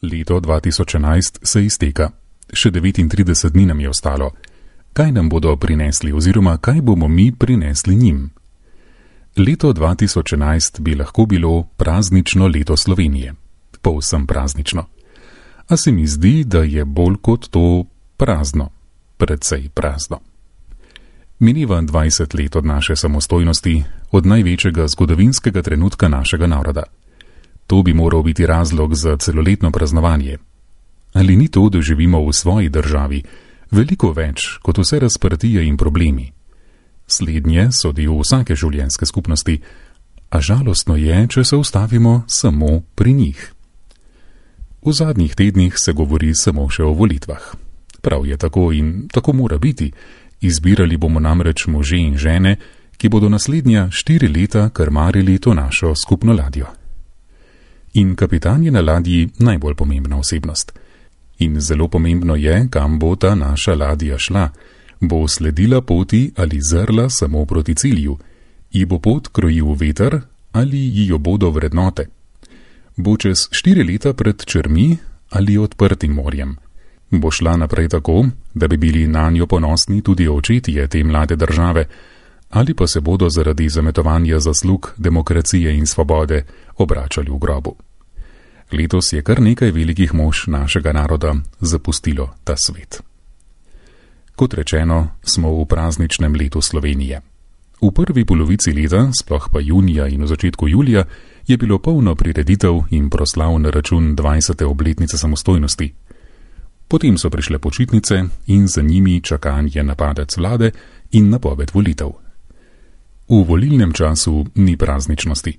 Leto 2011 se izteka. Še 39 dni nam je ostalo. Kaj nam bodo prinesli oziroma kaj bomo mi prinesli njim? Leto 2011 bi lahko bilo praznično leto Slovenije. Povsem praznično. A se mi zdi, da je bolj kot to prazno. Precej prazno. Mineva 20 let od naše samostojnosti, od največjega zgodovinskega trenutka našega naroda. To bi moral biti razlog za celoletno praznovanje. Ali ni to, da živimo v svoji državi, veliko več kot vse razprtije in problemi? Slednje so del vsake življenjske skupnosti, a žalostno je, če se ustavimo samo pri njih. V zadnjih tednih se govori samo še o volitvah. Prav je tako in tako mora biti. Izbirali bomo namreč može in žene, ki bodo naslednja 4 leta krmarili to našo skupno ladjo. In kapitan je na ladji najbolj pomembna osebnost. In zelo pomembno je, kam bo ta naša ladja šla. Bo sledila poti ali zrla samo proti cilju? Ji bo pot krojil veter ali ji jo bodo vrednote? Bo čez 4 leta pred črmi ali odprtim morjem? Bo šla naprej tako, da bi bili nanjo ponosni tudi očetje te mlade države, ali pa se bodo zaradi zametovanja zaslug demokracije in svobode obračali v grobu. Letos je kar nekaj velikih mož našega naroda zapustilo ta svet. Kot rečeno, smo v prazničnem letu Slovenije. V prvi polovici leta, sploh pa junija in v začetku julija, je bilo polno prireditev in proslav na račun 20. obletnice samostojnosti. Potem so prišle počitnice in za njimi čakanje na padec vlade in napoved volitev. V volilnem času ni prazničnosti.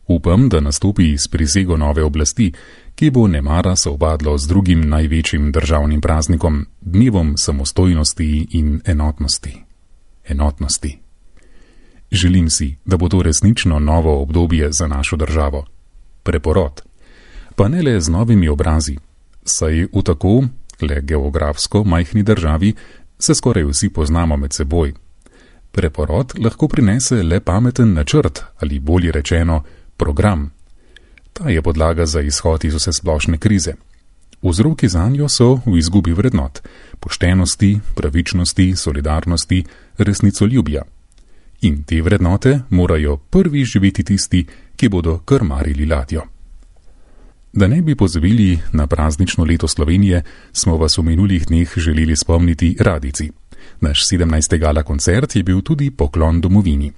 Upam, da nastopi s prisego nove oblasti, ki bo nemara sovpadlo z drugim največjim državnim praznikom, dnevom samostojnosti in enotnosti. Enotnosti. Želim si, da bo to resnično novo obdobje za našo državo. Preporod. Pa ne le z novimi obrazi, saj v tako, le geografsko majhni državi, se skoraj vsi poznamo med seboj. Preporod lahko prinese le pameten načrt ali bolje rečeno program. Ta je podlaga za izhod iz vse splošne krize. Vzroki zanjo so v izgubi vrednot, poštenosti, pravičnosti, solidarnosti, resnicoljubja. In te vrednote morajo prvi živeti tisti, ki bodo krmarili ladjo. Da ne bi pozabili na praznično leto Slovenije, smo vas v minulih dneh želeli spomniti radijci. Naš 17. gala koncert je bil tudi poklon domovini.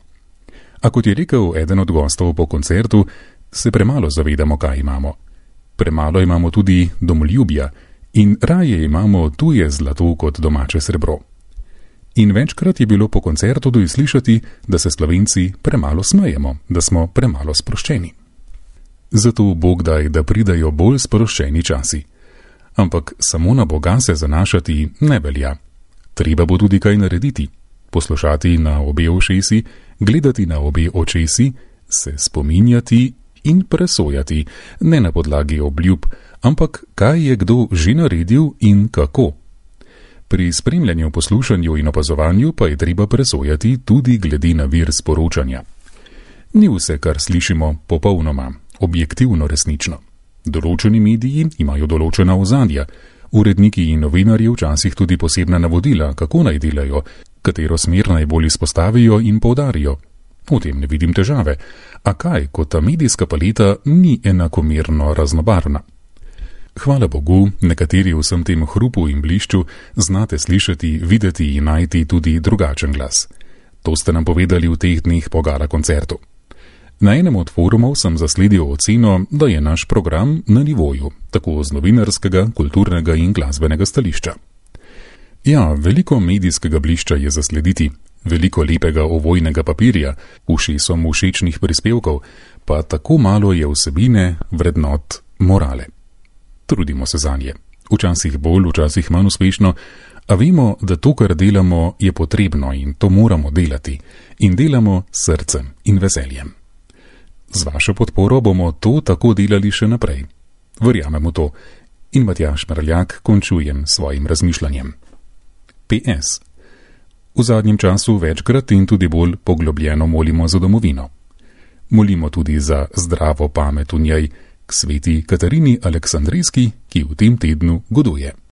A kot je rekel eden od gostov po koncertu, se premalo zavedamo, kaj imamo. Premalo imamo tudi domoljubja in raje imamo tuje zlato kot domače srebro. In večkrat je bilo po koncertu tudi slišati, da se Slovenci premalo smejemo, da smo premalo sproščeni. Zato Bog daj, da pridajo bolj sproščeni časi. Ampak samo na Boga se zanašati ne velja. Treba bo tudi kaj narediti. Poslušati na obe ušesi, gledati na obe očesi, se spominjati in presojati, ne na podlagi obljub, ampak kaj je kdo že naredil in kako. Pri spremljanju, poslušanju in opazovanju pa je treba presojati tudi glede na vir sporočanja. Ni vse, kar slišimo, popolnoma, objektivno resnično. Določeni mediji imajo določena ozadja, uredniki in novinarji včasih tudi posebna navodila, kako naj delajo, katero smer najbolj izpostavijo in poudarijo. V tem ne vidim težave. A kaj, ko ta medijska paleta ni enakomerno raznobarvna? Hvala Bogu, nekateri v vsem tem hrupu in blišču znate slišati, videti in najti tudi drugačen glas. To ste nam povedali v teh dneh po gala koncertu. Na enem od forumov sem zasledil oceno, da je naš program na nivoju, tako z novinarskega, kulturnega in glasbenega stališča. Ja, veliko medijskega blišča je zaslediti, veliko lepega ovojnega papirja, ušesom všečnih prispevkov, pa tako malo je vsebine, vrednot, morale. Trudimo se zanje. Včasih bolj, včasih manj uspešno, a vemo, da to, kar delamo, je potrebno in to moramo delati. In delamo s srcem in veseljem. Z vašo podporo bomo to tako delali še naprej. Verjamemo to. In Matjaž Mrljak končujem svojim razmišljanjem. PS. V zadnjem času večkrat in tudi bolj poglobljeno molimo za domovino. Molimo tudi za zdravo pamet v njej, k sveti Katarini Aleksandrijski, ki v tem tednu goduje.